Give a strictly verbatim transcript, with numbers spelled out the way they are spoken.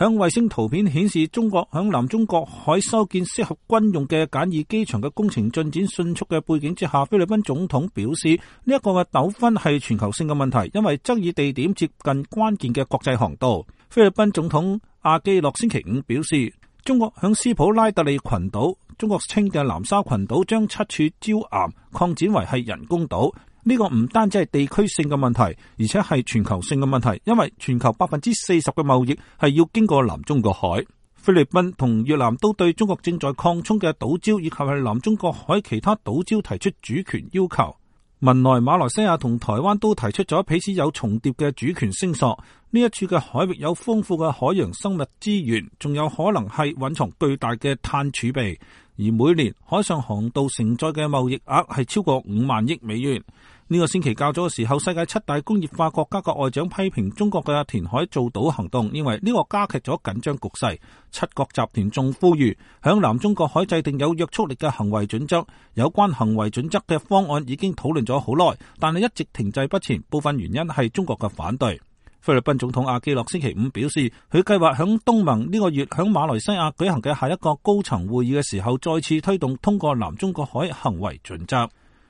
響衛星圖片顯示，中國響南中國海修建適合軍用嘅簡易機場嘅工程進展迅速嘅背景之下，菲律賓總統表示呢一個嘅糾紛係全球性嘅問題，因為爭議地點接近關鍵嘅國際航道。菲律賓總統阿基諾星期五表示，中國響斯普拉特利群島，中國稱嘅南沙群島將七處礁岩擴展為係人工島。呢個唔單止係地區性嘅問題，而且係全球性嘅問題，因為全球百分之四十嘅貿易係要經過南中國海。菲律賓同越南都對中國正在擴充嘅島礁以及係南中國海其他島礁提出主權要求。文萊、馬來西亞同台灣都提出咗彼此有重疊嘅主權聲索。呢一處嘅海域有豐富嘅海洋生物資源，仲有可能係蘊藏巨大嘅碳儲備。而每年海上航道承載嘅貿易額係超過五萬億美元。呢、這個星期較早嘅時候，世界七大工業化國家嘅外長批評中國嘅填海造島行動，認為呢個加劇咗緊張局勢。七國集團仲呼籲響南中國海制定有約束力嘅行為準則。有關行為準則嘅方案已經討論咗好耐，但係一直停滯不前，部分原因係中國嘅反對。菲律賓總統阿基諾星期五表示，佢計劃響東盟呢個月響馬來西亞舉行嘅下一個高層會議嘅時候，再次推動通過南中國海行為準則。